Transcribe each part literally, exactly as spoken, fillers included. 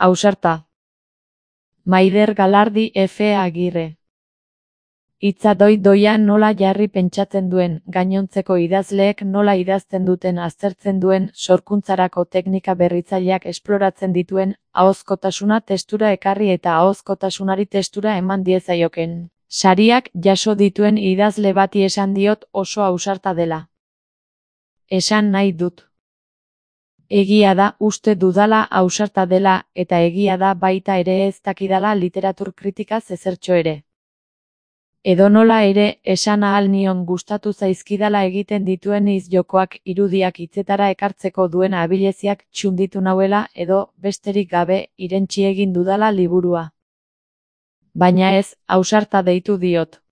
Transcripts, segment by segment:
Ausarta. Maider Galardi F. Agirre. Hitza doi-doia nola jarri pentsatzen duen, gainontzeko idazleek nola idazten duten aztertzen duen, sorkuntzarako teknika berritzaileak esploratzen dituen, ahozkotasuna testura ekarri eta ahozkotasunari testura eman diezaioken. Sariak jaso dituen idazle bati esan diot oso ausarta dela. Esan nahi dut. Egia da, uste dudala ausarta dela, eta egia da baita ere ez dakidala literatur kritikaz ezertxo ere. Edonola ere, esan ahal nion gustatu zaizkidala egiten dituen hitz-jokoak irudiak hitzetara ekartzeko duen abileziak txunditu nauela edo, besterik gabe, irentsi egin dudala liburua. Baina ez, ausarta deitu diot.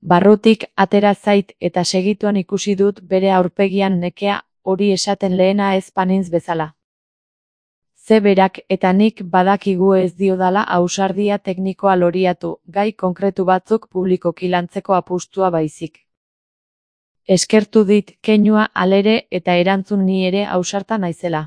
Barrutik atera zait eta segituan ikusi dut bere aurpegian nekea, hori esaten lehena ez banintz bezala. Ze berak eta nik badakigu ez diodala ausardia teknikoa loriatu, gai konkretu batzuk publikoki lantzeko apustua baizik. Eskertu dit keinua halere eta erantzun ni ere ausarta naizela.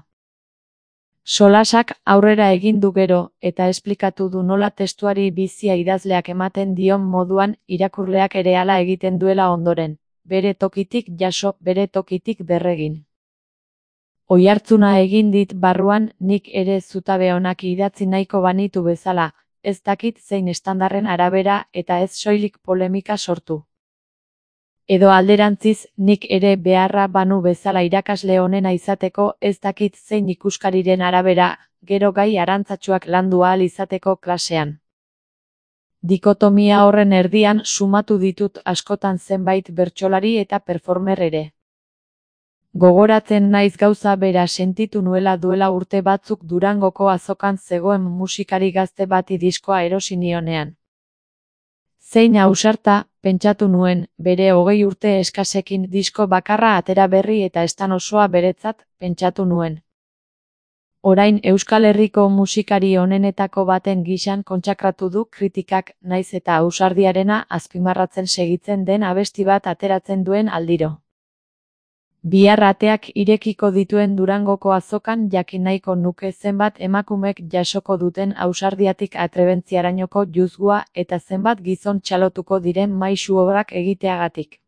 Solasak aurrera egin du gero, eta esplikatu du nola testuari bizia idazleak ematen dion moduan irakurleak ere hala egiten duela ondoren, bere tokitik jaso, bere tokitik berregin. Oihartzuna egin dit barruan, nik ere zutabe onak idatzi nahiko banitu bezala, ez dakit zein estandarren arabera eta ez soilik polemika sortu. Edo alderantziz, nik ere beharra banu bezala irakasle onena izateko ez dakit zein ikuskariren arabera, gero gai arantzatsuak landu ahal izateko klasean. Dikotomia horren erdian sumatu ditut askotan zenbait bertsolari eta performer ere. Gogoratzen naiz gauza bera sentitu nuela duela urte batzuk Durangoko azokan zegoen musikari gazte bati diskoa erosi nionean. Zein ausarta, pentsatu nuen, bere hogei urte eskasekin disko bakarra atera berri eta estan osoa beretzat, pentsatu nuen. Orain Euskal Herriko musikari onenetako baten gisan kontsakratu du kritikak, naiz eta ausardiarena azpimarratzen segitzen den abesti bat ateratzen duen aldiro. Bihar ateak irekiko dituen Durangoko azokan jakin nahiko nuke zenbat emakumek jasoko duten ausardiatik atrebentziarainoko juzgua eta zenbat gizon txalotuko diren maisu obrak egiteagatik.